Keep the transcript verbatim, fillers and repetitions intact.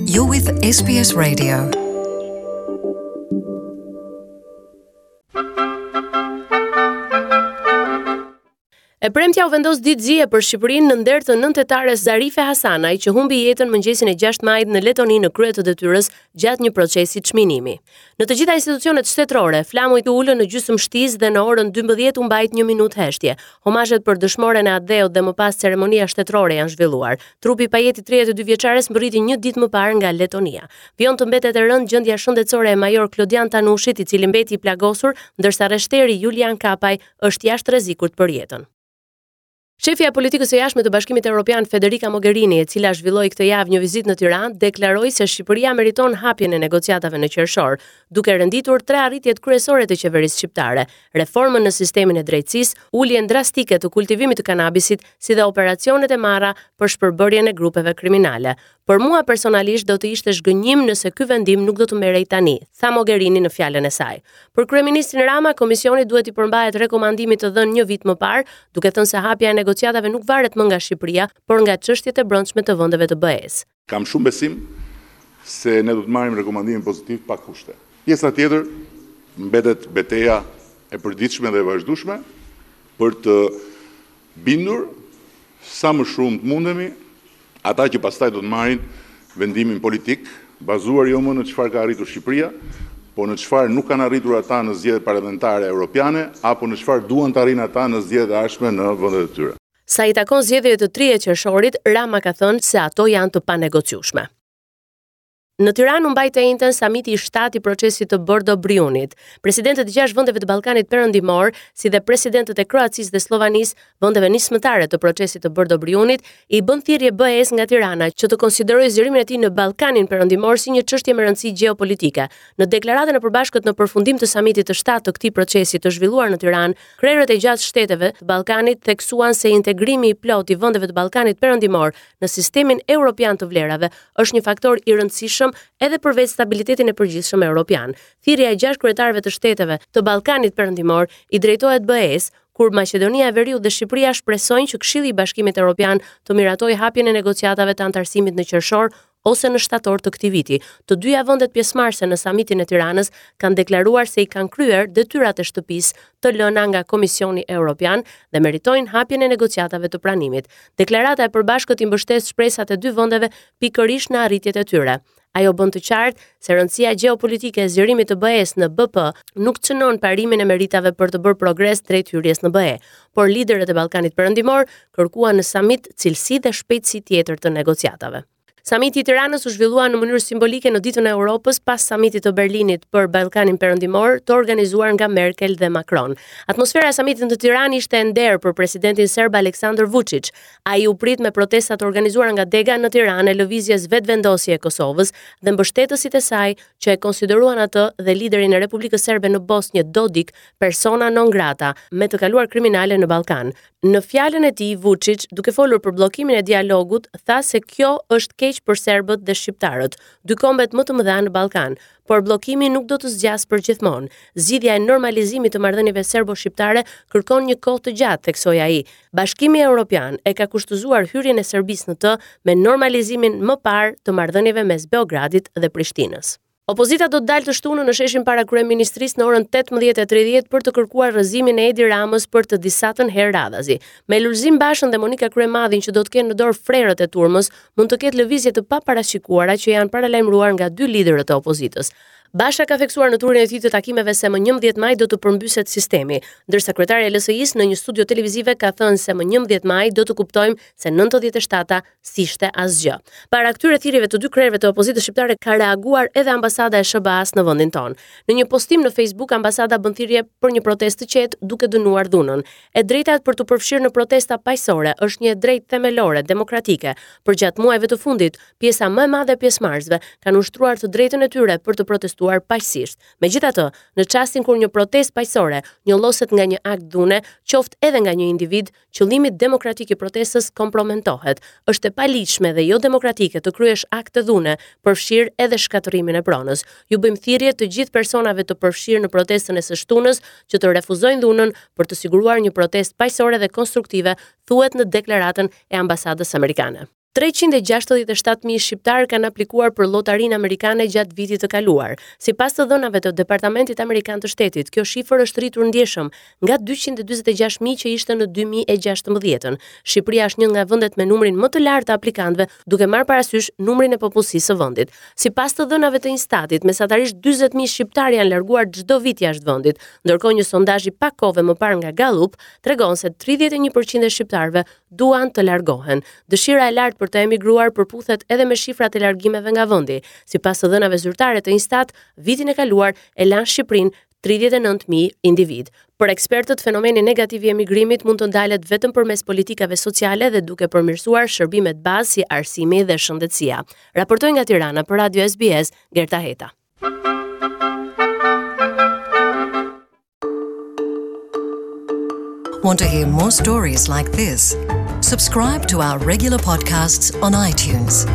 You're with S B S Radio. E premtja u vendos ditë zie për Shqipërinë në nder të nëntetares Zarife Hasanaj, që humbi jetën mëngjesin e gjashtë majit në Letoni në krye të detyrës gjatë një procesi çminimi. Në të gjitha institucionet shtetërore, flamujt u ulën në gjysmë shtizë dhe në orën dymbëdhjetë u mbajt një minutë heshtje. Homazhet për dëshmoren e atdheut dhe më pas ceremonia shtetërore janë zhvilluar. Trupi i pajetë i tridhjetë e dy vjeçares mbërriti një ditë më parë nga Letonia. Vijon të mbetet e rëndë gjendja shëndetësore e major Klodian Tanushit, i cili mbeti i plagosur, ndërsa rreshteri Julian Kapaj është jashtë rrezikut për jetën. Shefja e politikës së jashtme të Bashkimit Evropian Federica Mogherini, e cila zhvilloi këtë javë një vizitë në Tiranë, deklaroi se Shqipëria meriton hapjen e negociatave në qershor, duke renditur tre arritjet kryesore të qeverisë shqiptare: reformën në sistemin e drejtësisë, uljen drastike të kultivimit të kanabisit, si dhe operacionet e marra për shpërbërjen e grupeve kriminale. Për mua personalisht do të ishte zhgënjim nëse ky vendim nuk do të merrej tani, tha Mogherini në fjalën e saj. Për kryeministrin Rama, komisioni duhet i përmbahet rekomandimit të dhënë një vit më parë, duke thënë se hapja e negociatave nuk varet më nga Shqipëria, por nga çështjet e brendshme të vendeve të B E-s. Kam shumë besim se ne do të marrim rekomandimin pozitiv pa kushte. Pjesa tjetër mbetet beteja e përditshme dhe e vazhdueshme për të bindur sa më shumë të mundemi ata që pastaj do të marrin vendimin politik, bazuar jo më në çfarë ka arritur Shqipëria, por në çfarë nuk kanë arritur ata në zgjedhjet parlamentare europiane, apo në çfarë duan të arrijnë ata në zgjedhjet e ardhshme në vendet e tyre. Sa i takon zgjedhjeve të tridhjetë qershorit, Rama ka thënë se ato janë të panegociueshme. Në Tiranë u mbajt të enjten samiti i shtatë i procesit të Bordo-Briunit. Presidentët e gjashtë vendeve të Ballkanit Perëndimor, si dhe presidentët e Kroacisë dhe Sllovanisë, vendeve nismëtare të procesit të Bordo-Briunit, i bën thirrje B E-s nga Tirana që të konsiderojë zgjerimin e tij në Ballkanin Perëndimor si një çështje me rëndësi gjeopolitike. Në deklaratën e përbashkët në përfundim të samitit të shtatë të këtij procesi të zhvilluar në Tiranë, krerët e gjashtë shteteve të Ballkanit theksuan se integrimi i plotë i vendeve të Ballkanit Perëndimor në sistemin evropian të vlerave është një faktor i rëndësishëm edhe për vetë stabilitetin e përgjithshëm evropian. Thirrja e gjashtë kryetarëve të shteteve të Ballkanit Perëndimor i drejtohet B E-s, kur Maqedonia e Veriut dhe Shqipëria shpresojnë që Këshilli i Bashkimit Evropian të miratojë hapjen e negociatave të antarësimit në qershor ose në shtator të këtij viti. Të dyja vendet pjesëmarrëse në samitin e Tiranës kanë deklaruar se i kanë kryer detyrat e shtëpisë të lëna nga Komisioni Evropian dhe meritojnë hapjen e negociatave të pranimit. Deklarata e përbashkët i mbështet shpresat e dy vendeve pikërisht në arritjet e tyre. Ajo bën të qartë se rëndësia gjeopolitike e zgjerimit të B E-s në B P nuk cënon parimin e meritave për të bërë progres drejt hyrjes në B E, por liderët e Ballkanit Perëndimor kërkuan në samit cilësi dhe shpejtësi tjetër të negociatave. Samiti i Tiranës u zhvillua në mënyrë simbolike në ditën e Europës pas samitit të Berlinit për Ballkanin Perëndimor, të organizuar nga Merkel dhe Macron. Atmosfera e samitit në Tiranë ishte e nderë për presidentin serb Aleksandar Vučić. Ai u prit me protesta të organizuara nga dega në Tiranë e lëvizjes Vetëvendosje e Kosovës dhe mbështetësit e saj që e konsideruan atë dhe liderin e Republikës Serbe në Bosnjë, Dodik, persona non grata me të kaluar kriminale në Ballkan. Në fjalën e tij, Vučić, duke folur për bllokimin e dialogut, tha se kjo është keq për serbët dhe shqiptarët, dy kombet më të mëdha në Ballkan, por bllokimi nuk do të zgjasë për gjithmonë. Zgjidhja e normalizimit të marrëdhënieve serbo-shqiptare kërkon një kohë të gjatë, theksoi ai. Bashkimi Evropian e ka kushtëzuar hyrjen e Serbisë në të me normalizimin më parë të marrëdhënieve mes Beogradit dhe Prishtinës. Opozita do të dalë të shtunën në sheshin para kryeministrisë në orën tetëmbëdhjetë e tridhjetë për të kërkuar rrëzimin e Edi Ramës për të disatën herë radhazi. Me Lulzim Bashën dhe Monika Kryemadhin që do të kenë në dorë frerët e turmës, mund të ketë lëvizje të paparashikuara që janë paralajmëruar nga dy liderët e opozitës. Basha ka theksuar në turin e tij të takimeve se më njëmbëdhjetë maj do të përmbyset sistemi, ndërsa kryetari i L S I-s në një studio televizive ka thënë se më njëmbëdhjetë maj do të kuptojmë se nëntëdhjetë e shtata s'ishte asgjë. Para këtyre thirrjeve të dy krerëve të opozitës shqiptare ka reaguar edhe ambasada e S H B A-s në vendin tonë. Në një postim në Facebook, ambasada bën thirrje për një protestë të qetë duke dënuar dhunën. E drejta për t'u përfshirë në protesta paqësore është një e drejtë themelore demokratike. Përgjatë muajve të fundit, pjesa më e madhe e pjesëmarrësve kanë ushtruar të drejtën e tyre për të protestuar paqësisht. Megjithatë, në çastin kur një protestë paqësore njolloset nga një akt dhune, qoftë edhe nga një individ, qëllimi demokratik i protestës kompromentohet. Është e paligjshme dhe jo demokratike të kryesh akte dhune, përfshirë edhe shkatërrimin e pronës. Ju bëjmë thirrje të gjithë personave të përfshirë në protestën e së shtunës që të refuzojnë dhunën për të siguruar një protestë paqësore dhe konstruktive, thuhet në deklaratën e ambasadës amerikane. Treqind e gjashtëdhjetë e shtatë mijë shqiptarë kanë aplikuar për llotarinë amerikane gjatë vitit të kaluar. Sipas të dhënave të Departamentit Amerikan të Shtetit, kjo shifër është rritur ndjeshëm nga dyqind e dyzet e gjashtë mijë që ishte në dy mijë e gjashtëmbëdhjetën. Shqipëria është një nga vendet me numrin më të lartë të aplikantëve, duke marrë parasysh numrin e popullsisë së vendit. Sipas të dhënave të Instatit, mesatarisht dyzet mijë shqiptarë janë larguar çdo vit jashtë vendit, ndërkohë një sondazh i pak kohëve më parë nga Gallup tregon se tridhjetë e një përqind e shqiptarëve duan të largohen. Dëshira e lartë për të emigruar përputhet edhe me shifrat e largimeve nga vendi. Sipas të dhënave zyrtare të Instat, vitin e kaluar e lanë Shqipërinë tridhjetë e nëntë mijë individ. Për ekspertët, fenomeni negativ i emigrimit mund të ndalet vetëm përmes politikave sociale dhe duke përmirësuar shërbimet bazë si arsimi dhe shëndetësia. Raportoi nga Tirana për Radio S B S, Gerta Heta. Want to hear more stories like this? Subscribe to our regular podcasts on iTunes.